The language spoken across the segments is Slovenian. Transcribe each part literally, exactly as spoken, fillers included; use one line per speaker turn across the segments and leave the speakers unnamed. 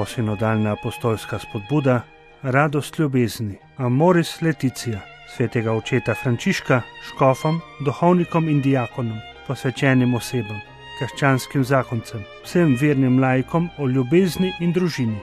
novosinodalna apostolska spodbuda, radost ljubezni, Amoris Laetitia, svetega očeta Frančiška, škofom, duhovnikom in diakonom, posvečenim osebam, krščanskim zakoncem, vsem vernim laikom o ljubezni in družini.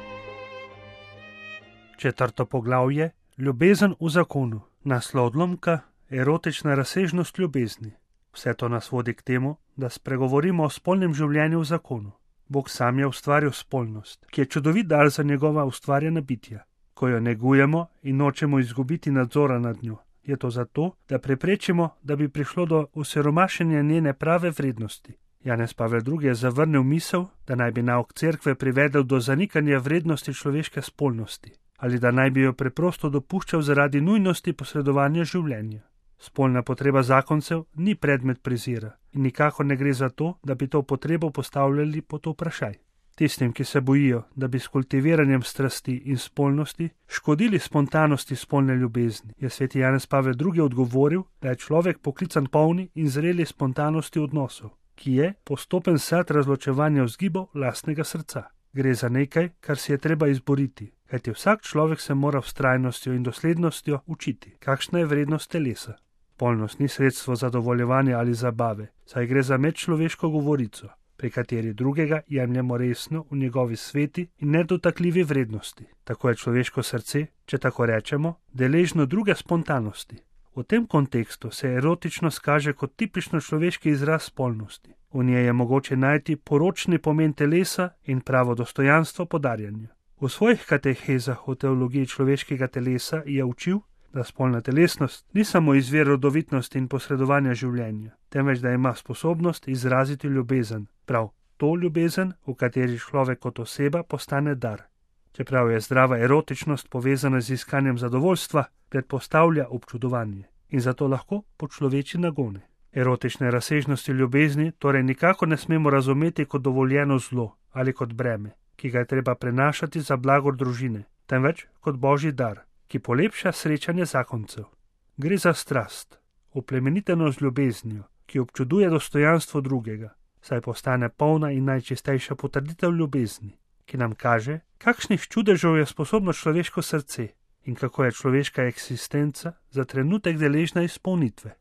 Četrto poglavje, ljubezen v zakonu, naslov odlomka, erotična razsežnost ljubezni. Vse to nas vodi k temu, da spregovorimo o spolnem življenju v zakonu. Bog sam je ustvaril spolnost, ki je čudovit dar za njegova ustvarjena bitja. Ko jo negujemo in nočemo izgubiti nadzora nad njo, je to zato, da preprečimo, da bi prišlo do osiromašenja njene prave vrednosti. Janez Pavel drugi. Je zavrnil misel, da naj bi nauk cerkve privedel do zanikanja vrednosti človeške spolnosti, ali da naj bi jo preprosto dopuščal zaradi nujnosti posredovanja življenja. Spolna potreba zakoncev ni predmet prezira in nikakor ne gre za to, da bi to potrebo postavljali pod vprašaj. Tistim, ki se bojijo, da bi s kultiviranjem strasti in spolnosti škodili spontanosti spolne ljubezni, je sveti Janez Pavel drugi. Odgovoril, da je človek poklican polni in zreli spontanosti odnosov, ki je postopen sad razločevanja vzgibov lastnega srca. Gre za nekaj, kar si je treba izboriti, kajti vsak človek se mora vztrajnostjo in doslednostjo učiti, kakšna je vrednost telesa. Spolnost ni sredstvo zadovoljevanja ali zabave, saj gre za medčloveško govorico, pri kateri drugega jemljemo resno v njegovi sveti in nedotakljivi vrednosti. Tako je človeško srce, če tako rečemo, deležno druge spontanosti. V tem kontekstu se erotičnost kaže kot tipično človeški izraz spolnosti. V njej je mogoče najti poročni pomen telesa in pravo dostojanstvo podarjanja. V svojih katehezah o teologiji človeškega telesa je učil, da spolna telesnost ni samo izvir rodovitnosti in posredovanja življenja, temveč da ima sposobnost izraziti ljubezen, prav to ljubezen, v kateri človek kot oseba postane dar. Čeprav je zdrava erotičnost povezana z iskanjem zadovoljstva, predpostavlja občudovanje in zato lahko počloveči nagone. Erotične razsežnosti ljubezni torej nikakor ne smemo razumeti kot dovoljeno zlo ali kot breme, ki ga je treba prenašati za blagor družine, temveč kot božji dar, ki polepša srečanje zakoncev. Gre za strast, oplemeniteno z ljubeznijo, ki občuduje dostojanstvo drugega, saj postane polna in najčistejša potrditev ljubezni, ki nam kaže, kakšnih čudežev je sposobno človeško srce in kako je človeška eksistenca za trenutek deležna izpolnitve.